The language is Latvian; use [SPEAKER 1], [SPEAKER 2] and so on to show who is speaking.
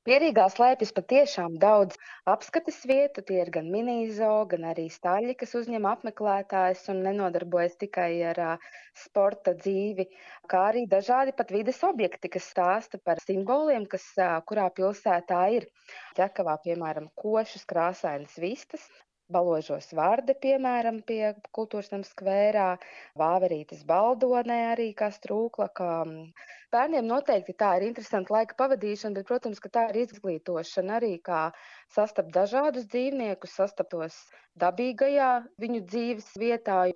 [SPEAKER 1] Pierīgā slēpjas patiešām daudz apskates vietu. Tie ir gan mini-zoo, gan arī staļļi, kas uzņem apmeklētājus un nenodarbojas tikai ar sporta dzīvi, kā arī dažādi pat vides objekti, kas stāsta par simboliem, kas kurā pilsētā ir. Ķekavā, piemēram, košas krāsainas vistas, Baložos Vārde, piemēram, pie kultūras nama skvērā, Vāverītes Baldonē arī kā strūklaka. Bērniem noteikti tā ir interesanta laika pavadīšana, bet, protams, ka tā ir izglītošana arī, kā sastapt dažādus dzīvniekus, sastaptos dabīgajā viņu dzīves vietā.